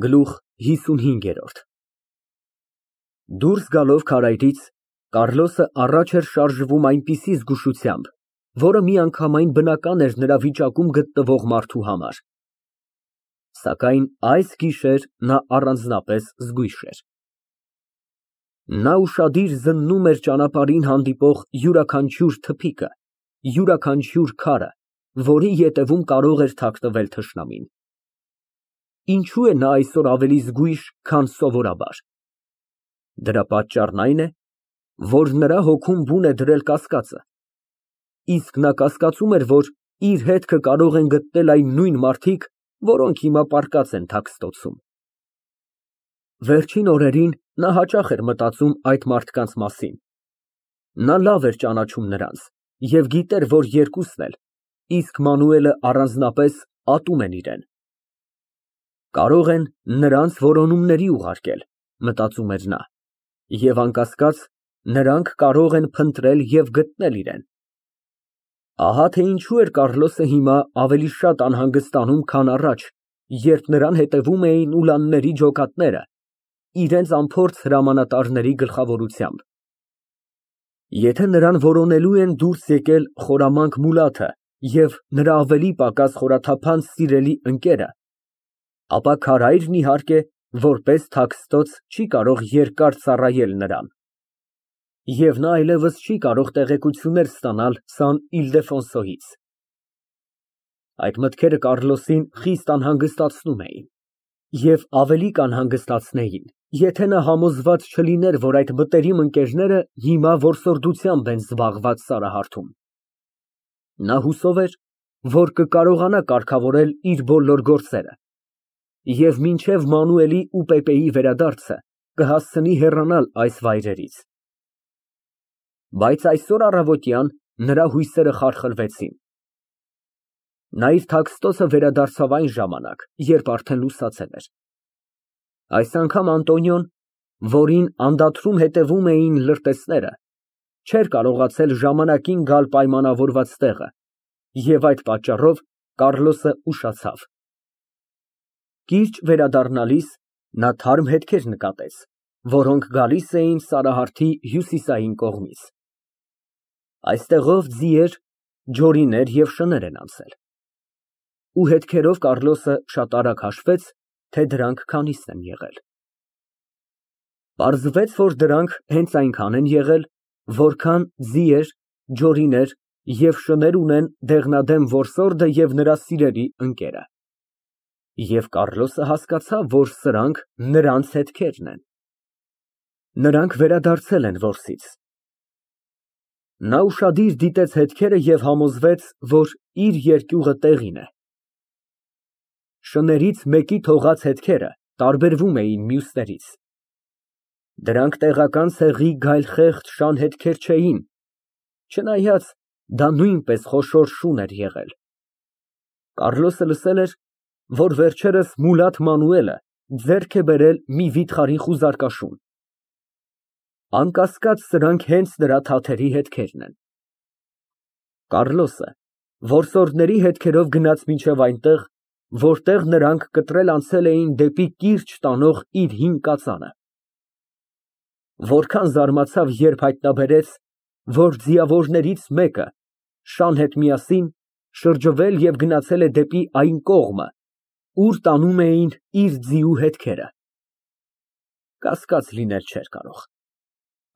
Գլուխ 55 Դուրս գալով քարայրից, Կառլոսը առաջ էր շարժվում այնպիսի զգուշությամբ, որը միանգամայն բնական էր նրա վիճակում գտնվող մարդու համար, սակայն այս գիշեր նա առանձնապես զգույշ էր։ Նա ուշադիր զննում էր ճանապարհին հանդիպող յուրաքանչյուր թփիկը, յուրաքանչյուր քարը, որի ետևում կարող էր թաքնվել թշնամին։ Ինչո՞ւ է նա այսօր ավելի զգույշ, քան սովորաբար։ Դրա պատճառն այն է, որ նրա հոգում բուն է դրել կասկածը, իսկ նա կասկածում էր, որ իր հետքը կարող են գտնել այն նույն մարդիկ, որոնք հիմա պառկած են Թաքստոցում։ Վերջին օրերին նա հաճախ էր մտածում այդ մարդկանց մասին։ Նա լավ էր ճանաչում նրանց և գիտեր, որ երկուսն էլ, իսկ Մանուելը առանձնապես, ատում են իրան։ Կարող են նրանց որոնումների ուղարկել, մտածում էր նա, և անկասկած, նրանք կարող են փնտրել և գտնել իրան։ Ահա թե ինչու էր Կառլոսը հիմա ավելի շատ անհանգստանում, քան առաջ, երբ նրան հետևում էին ուլանների ջոկատները, իրենց անփորձ հրամանատարների գլխավորությամբ։ Եթե նրան որոնելու են դուրս եկել խորամանկ Մուլաթը և նրա ավելի պակաս խորաթափանց սիրելի ընկերը, ապա քարայրն, իհարկե, որպես Թաքստոց չի կարող երկար ծառայել նրան, և նա այլևս չի կարող տեղեկություններ ստանալ Սան Իլդեֆոնսոյից։ Այդ մտքերը Կառլոսին խիստ անհանգստացնում էին և ավելի կանհանգստացնեին, եթե նա համոզված չլիներ, որ այդ մտերիմ ընկերները հիմա որսորդությամբ են զբաղված Սարահարթում։ Նա հուսով էր, որ կկարողանա կարգավորել իր բոլոր գործերը և մինչև Մանուելի ու Պեպեի վերադարձը կհասցնի հեռանալ այս վայրերից։ Բայց այսօր առավոտյան նրա հույսերը խարխլվեցին։ Նա իր Թաքստոցը վերադարձավ այն ժամանակ, երբ արդեն լուսացել էր։ Այս անգամ Անտոնիոն, որին անդադրում հետևում էին լրտեսները, չէր կարողացել ժամանակին գալ պայմանավորված տեղը, և այդ պատճառով Կառլոսը ուշացավ։ Կիրճ վերադառնալիս նա թարմ հետքեր նկատեց, որոնք գալիս էին Սարահարթի հյուսիսային կողմից։ Այստեղով ձիեր, ջորիներ և շներ են անցել։ Ու հետքերով Կառլոսը շատ արագ հաշվեց, թե դրանք քանիսն են եղել։ Պարզվեց, որ դրանք հենց այնքան են եղել, որքան ձիեր, ջորիներ և շներ ունեն դեղնադեմ որսորդը և նրա սիրելի ընկերը։ Եվ Կառլոսը հասկացավ, որ սրանք նրանց հետքերն են։ Նրանք վերադարձել են որսից։ Նա ուշադիր դիտեց հետքերը և համոզվեց, որ իր երկյուղը տեղին է։ Շներից մեկի թողած հետքերը տարբերվում էին մյուսներից։ Դրանք տեղական ցեղի գայլխեղճ շան հետքեր չէին, չնայած դա նույնպես խոշոր շուն էր եղել։ Կառլոսը լսել էր, որ վերջերս Մուլաթ Մանուելը ձեռք է բերել մի վիթխարի խուզարկաշուն։ Անկասկած, սրանք հենց նրա թաթերի հետքերն են։ Կառլոսը որսորդների հետքերով գնաց մինչև այնտեղ, որտեղ նրանք կտրել անցել էին դեպի կիրճ տանող իր հին կածանը։ Որքան զարմացավ, երբ հայտնաբերեց, որ ձիավորներից մեկը, շան հետ միասին, շրջվել և գնացել է դեպի այն կողմը, ուր տանում էին իր ձիու հետքերը։ Կասկած լինել չէր կարող։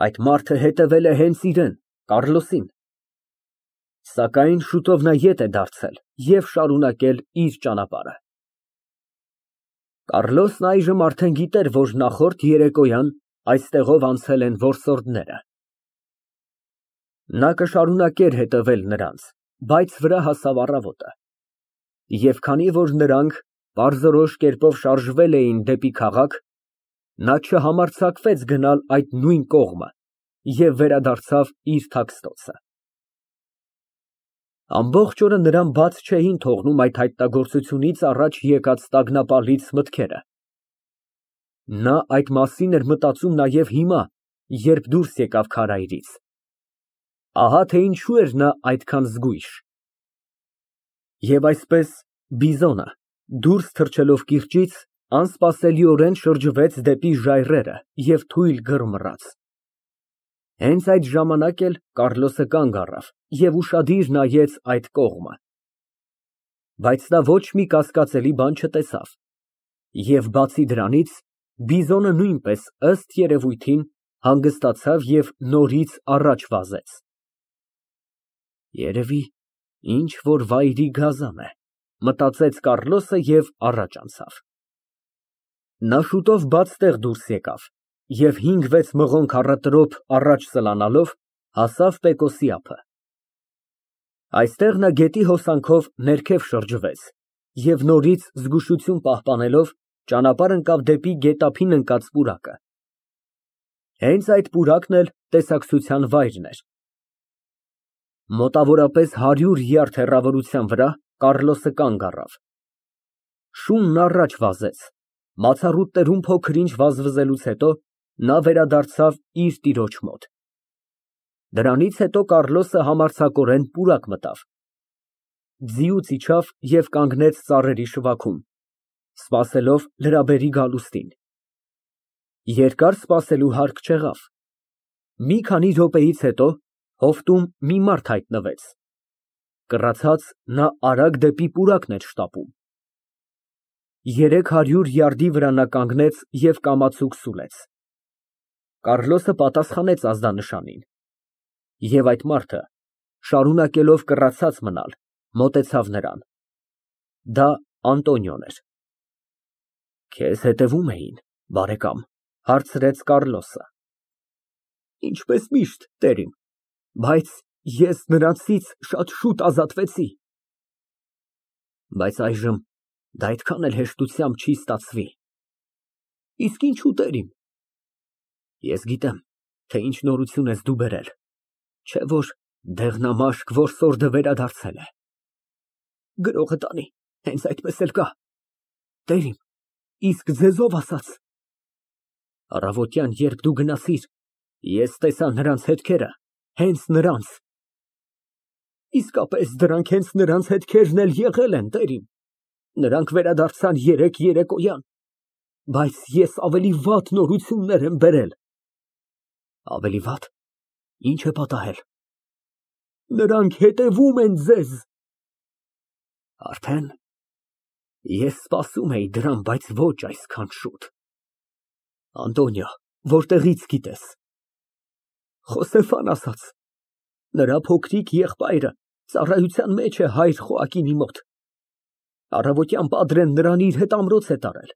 Այդ մարդը հետևել է հենց իրան, Կառլոսին։ Սակայն շուտով նա ետ է դարձել և շարունակել իր ճանապարհը։ Կառլոսն այժմ արդեն գիտեր, որ նախորդ երեկոյան այստեղով անցել են որսորդները։ Նա կշարունակեր հետևել նրանց, բայց վրա հասավ առավոտը։ Եվ քանի որ նրանք պարզորոշ կերպով շարժվել էին դեպի քաղաք, նա չհամարձակվեց գնալ այդ նույն կողմը և վերադարձավ իր Թաքստոցը։ Ամբողջ օրը նրան բաց չէին թողնում այդ հայտնագործությունից առաջ եկած տագնապալից մտքերը։ Նա այդ մասին էր մտածում նաև հիմա, երբ դուրս եկավ քարայրից։ Ահա թե ինչու էր նա այդքան զգույշ։ Եվ այսպես, բիզոնը, դուրս թռչելով կիրճից, անսպասելիորեն շրջվեց դեպի ժայռերը և թույլ գրմռաց։ Հենց այդ ժամանակ էլ Կառլոսը կանգ առավ և ուշադիր նայեց այդ կողմը։ Բայց նա ոչ մի կասկածելի բան չտեսավ, և բացի դրանից, բիզոնը նույնպես, ըստ երևույթին, հանգստացավ և նորից առաջ վազեց։ Երևի ինչ֊որ վայրի գազան է, մտածեց Կառլոսը և առաջ անցավ։ Նա շուտով բաց տեղ դուրս եկավ և 5-6 մղոն քառատրոփ առաջ սլանալով հասավ Պեկոսի ափը։ Այստեղ նա գետի հոսանքով ներքև շրջվեց և նորից զգուշություն պահպանելով ճանապարհ ընկավ դեպի գետափին ընկած պուրակը։ Հենց այդ պուրակն էլ տեսակցության վայրն էր։ Մոտավորապես 100 յարդ հեռավորության վրա Կառլոսը կանգ առավ։ Շունն առաջ վազեց, բացառությամբ փոքր֊ինչ վազվզելուց հետո նա վերադարձավ իր տիրոջ մոտ։ Դրանից հետո Կառլոսը համարձակորեն պուրակ մտավ։ Ձիուց իջավ և կանգնեց ծառերի շվաքում, սպասելով լրաբերի գալուստին։ Երկար սպասելու հարկ չեղավ։ Մի քանի րոպեից հետո հովտում մի մարդ հայտնվեց։ Կռացած, նա արագ դեպի պուրակն էր շտապում։ 300 յարդի վրա նա կանգնեց և կամացուկ սուլեց։ Կառլոսը պատասխանեց ազդանշանին, և այդ մարդը, շարունակելով կռացած մնալ, մոտեցավ նրան։ Դա Անտոնիոն էր։ Քեզ հետևում էին, բարեկամ, հարցրեց Կառլոսը։ Ինչպես միշտ, տերիմ, բայց ես նրանցից շատ շուտ ազատվեցի։ Բայց այժմ դա այդքան էլ հեշտությամբ չի ստացվի։ Իսկ ինչու, տերիմ։ Ես գիտեմ, թե ինչ նորություն ես դու բերել, չէ՞ որ դեղնամաշկ որսորդը վերադարձել է։ Գրողը տանի, հենց այդպես էլ կա։ Տերիմ, իսկ ձեզ ով ասաց։ Առավոտյան, երբ դու գնացիր, ես տեսա նրանց հետքերը, հենց նրանց։ Իսկապես դրանք հենց նրանց հետքերն էլ եղել են, տերիմ։ Նրանք վերադարձան երեկոյան, բայց ես ավելի վատ նորություններ եմ բերել։ Ավելի վատ, ի՞նչ է պատահել։ Նրանք հետևում են ձեզ։ Արդեն։ Ես սպասում էի դրան, բայց ոչ այսքան շուտ։ Անտոնիո, որտեղի՞ց գիտես։ Խոսեֆան ասաց։ Նրա փոքրիկ եղբայրը ծառայության մեջ է հայր Խոակինի մոտ։ Առավոտյան Պադրեն նրան իր հետ ամրոց է տարել,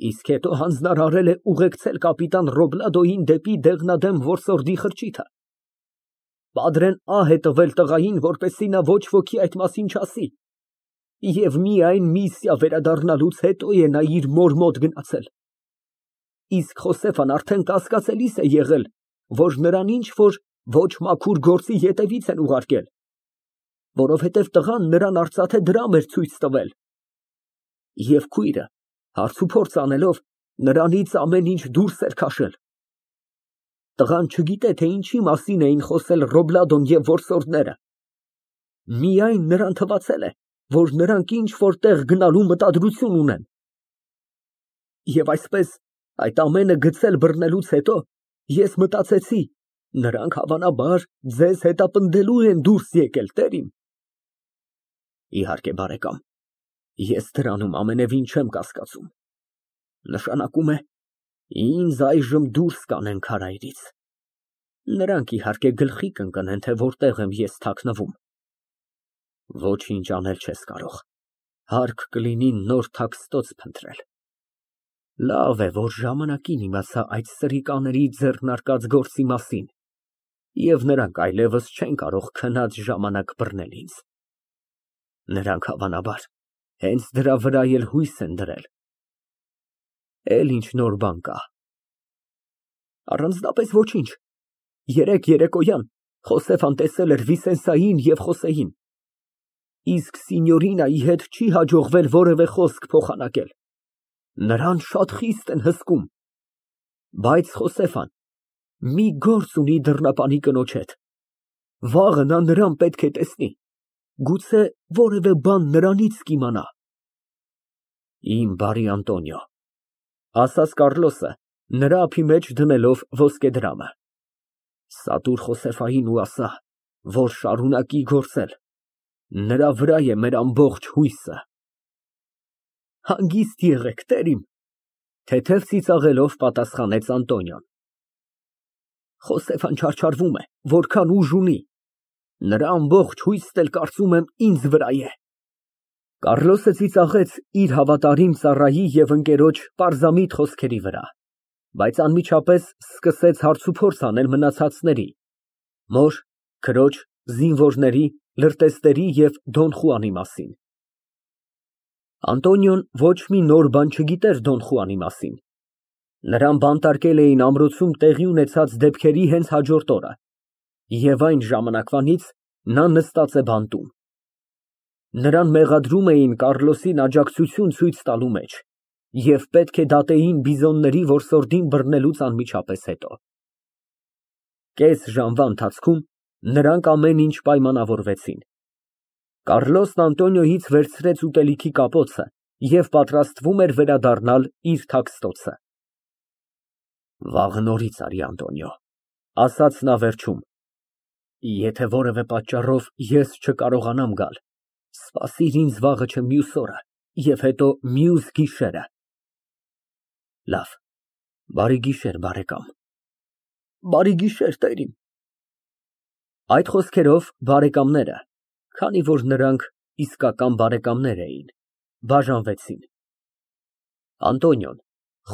իսկ հետո հանձնարարել է ուղեկցել կապիտան Ռոբլադոյին դեպի դեղնադեմ որսորդի խրճիթը։ Պադրեն ահ է տվել տղային, որպեսզի նա ոչ ոքի այդ մասին չասի, և միայն միսիա վերադառնալուց հետո է նա իր մոր մոտ գնացել։ Իսկ Խոսեֆան արդեն կասկածելիս է եղել, որ նրան ինչ֊որ ոչ մաքուր գործի ետևից են ուղարկել, որովհետև տղան նրան արծաթե դրամ էր ցույց տվել։ Եվ քույրը, հարցուփորձ անելով, նրանից ամեն ինչ դուրս էր քաշել։ Տղան չգիտե, թե ինչի մասին էին խոսել Ռոբլադոն և որսորդները։ Միայն նրան թվացել է, որ նրանք ինչ֊որ տեղ գնալու մտադրություն ունեն։ Եվ այսպես, այդ ամենը գցել֊բռնելուց հետո, ես մտածեցի, նրանք հավանաբար ձեզ հետապնդելու են դուրս եկել, տերիմ։ Իհարկե, բարեկամ, ես դրանում ամենևին չեմ կասկածում։ Նշանակում է, ինձ այժմ դուրս կանեն քարայրից։ Նրանք, իհարկե, գլխի կընկնեն, թե որտեղ եմ ես թաքնվում։ Ոչինչ անել չես կարող, հարկ կլինի նոր թաքստոց փնտրել։ Լավ է, որ ժամանակին իմացա այդ սրիկաների ձեռնարկած գործի մասին, և նրանք այլևս չեն կարող քնած ժամանակ բռնել ինձ։ Նրանք, հավանաբար, հենց դրա վրա էլ հույս են դրել։ Էլ ինչ նոր բան կա։ Առանձնապես ոչինչ։ Երեկոյան Խոսեֆան տեսել էր Վիսենսային և Խոսեին։ Իսկ սինյորինայի հետ չի հաջողվել որևէ խոսք փոխանակել։ Նրան շատ խիստ են հսկում։ Բայց Խոսեֆան մի գործ ունի դռնապանի կնոջ հետ։ Վաղը նա նրան պետք է տեսնի, գուցե որևէ բան նրանից կիմանա։ Իմ բարի Անտոնիո, ասաց Կառլոսը, նրա ափի մեջ դնելով ոսկեդրամը, սատուր Խոսեֆային ու ասա, որ շարունակի գործել, նրա վրա է մեր ամբողջ հույսը։ Հանգիստ եղեք, տեր իմ, թեթև ծիծաղելով պատասխանեց Անտոնիոն։ Խոսեֆան չարչարվում է, որքան ուժ ունի, նրա ամբողջ հույսն էլ կարծում եմ ինձ վրա է։ Կառլոսը ծիծաղեց իր հավատարիմ ծառայի և ընկերոջ պարզամիտ խոսքերի վրա, բայց անմիջապես սկսեց հարցուփորձ անել մնացածների՝ մոր, քրոջ, զինվորների, լրտեսների և Դոն Խուանի մասին։ Անտոնիոն ոչ մի նոր բան չգիտեր Դոն Խուանի մասին։ Նրան բանտարկել էին ամրոցում տեղի ունեցած դեպքերի հենց հաջորդ օրը, և այն ժամանակվանից նա նստած է բանտում։ Նրան մեղադրում էին Կառլոսին աջակցություն ցույց տալու մեջ և պետք է դատեին բիզոնների որսորդին բռնելուց անմիջապես հետո։ Կես ժամվա ընթացքում նրանք ամեն ինչ պայմանավորվեցին։ Կառլոսն Անտոնիոյից վերցրեց ուտելիքի կապոցը և պատրաստվում էր վերադառնալ իր թաքստոցը։ Վաղը նորից արի, Անտոնիո, ասաց նա վերջում, եթե որևէ պատճառով ես չկարողանամ գալ, սպասիր ինձ վաղը չէ մյուս օրը և հետո մյուս գիշերը։ Լավ, բարի գիշեր, բարեկամ։ Բարի գիշեր, տեր իմ։ Այդ խոսքերով բարեկամները, քանի որ նրանք իսկական բարեկամներ էին, բաժանվեցին։ Անտոնիոն,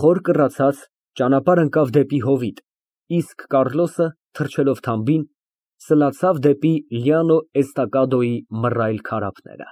խոր կռացած, ճանապարհ ընկավ դեպի հովիտ, իսկ Կառլոսը, թռչելով թամբին, սլացավ դեպի Լիանո Էստակադոյի մռայլ քարափները։